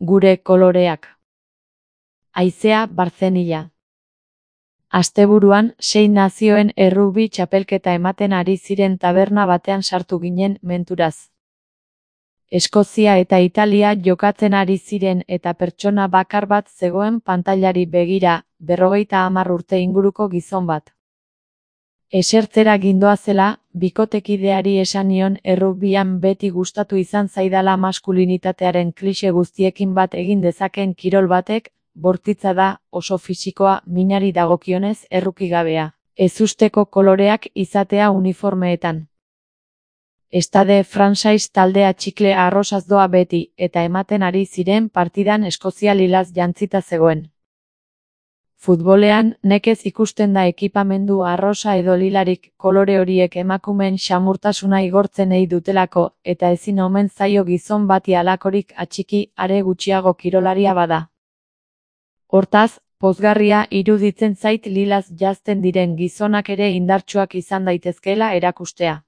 Gure koloreak. Haizea Barzenilla. Asteburuan 6 nazioen errugbi txapelketa ematen ari ziren taberna batean sartu ginen menturaz. Eskozia eta Italia jokatzen ari ziren eta pertsona bakar bat zegoen pantailari begira, 50 urte inguruko gizon bat. Esertzera gindoazela, bikotekideari esan nion errugbian beti gustatu izan zaidala maskulinitatearen klixe guztiekin bat egin dezaken kirol batek, bortitza da, oso fisikoa, minari dagokionez errukigabea, ezusteko koloreak izatea uniformeetan. Stade Français taldea txikle arrosaz doa beti, eta ematen ari ziren partidan Eskozia lilaz jantzita zegoen. Futbolean, nekez ikusten da ekipamendu arrosa edo lilarik, kolore horiek emakumeen xamurtasuna igortzen ei dutelako, eta ezin omen zaio gizon bati halakorik atxiki, are gutxiago kirolaria bada. Hortaz, pozgarria iruditzen zait lilaz janzten diren gizonak ere indartsuak izan daitezkeela erakustea.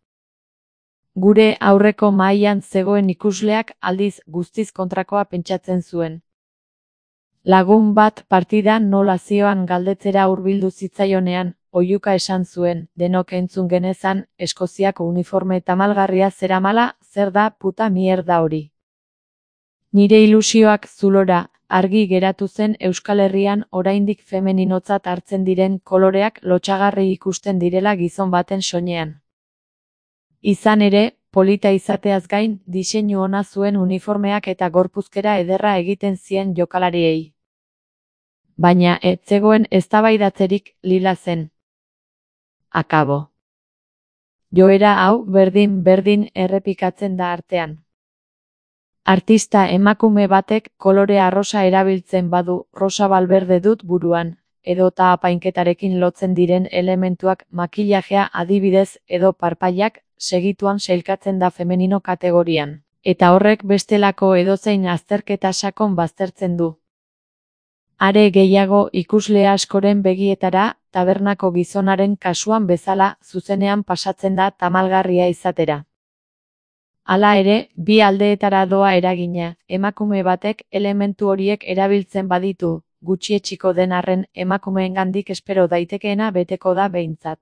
Gure aurreko mahaian zegoen ikusleak aldiz guztiz kontrakoa pentsatzen zuen. Lagun bat partidan nola zioan galdetzera hurbildu zitzaionean, oihuka esan zuen, denok entzun genezan, Eskoziako uniforme tamalgarria zeramala, zer da puta mierda hori. Nire ilusioak zulora, argi geratu zen Euskal Herrian oraindik femeninotzat hartzen diren koloreak lotsagarri ikusten direla gizon baten soinean. Izan ere, polita izateaz gain, diseinu ona zuen uniformeak eta gorpuzkera ederra egiten zien jokalariei. Baina ez zegoen eztabaidatzerik lila zen. Akabo. Joera hau berdin errepikatzen da artean. Artista emakume batek kolore arrosa erabiltzen badu, rosa balberde dut buruan, edota apainketarekin lotzen diren elementuak makillajea adibidez edo parpaiak, segituan sailkatzen da femenino kategorian, eta horrek bestelako edozein azterketa sakon baztertzen du. Are gehiago ikusle askoren begietara, tabernako gizonaren kasuan bezala, zuzenean pasatzen da tamalgarria izatera. Hala ere, bi aldeetara doa eragina, emakume batek elementu horiek erabiltzen baditu, gutxietsiko den arren emakumeengandik espero daitekeena beteko da behintzat.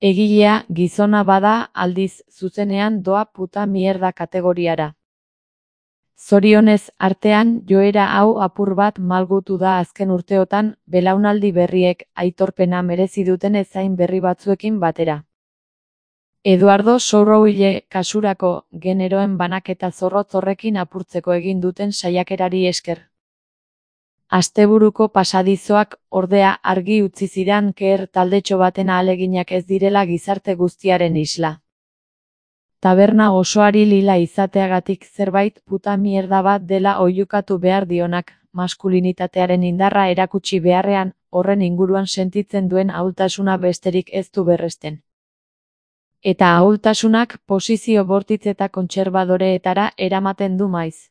Egilea gizona bada aldiz zuzenean doa puta mierda kategoriara. Zorionez artean joera hau apur bat malgutu da azken urteotan, belaunaldi berriek aitorpena merezi duten ezain berri batzuekin batera. Eduardo Sorroille kasurako generoen banaketa zorrotz horrekin apurtzeko egin duten saiakerari esker. Asteburuko pasadizoak ordea argi utzi zidan keer taldetxo baten ahaleginak ez direla gizarte guztiaren isla. Taberna osoari lila izateagatik zerbait puta mierda bat dela oihukatu behar dionak, maskulinitatearen indarra erakutsi beharrean, horren inguruan sentitzen duen ahultasuna besterik ez du berresten. Eta ahultasunak posizio bortitz eta kontserbadoreetara eramaten du maiz.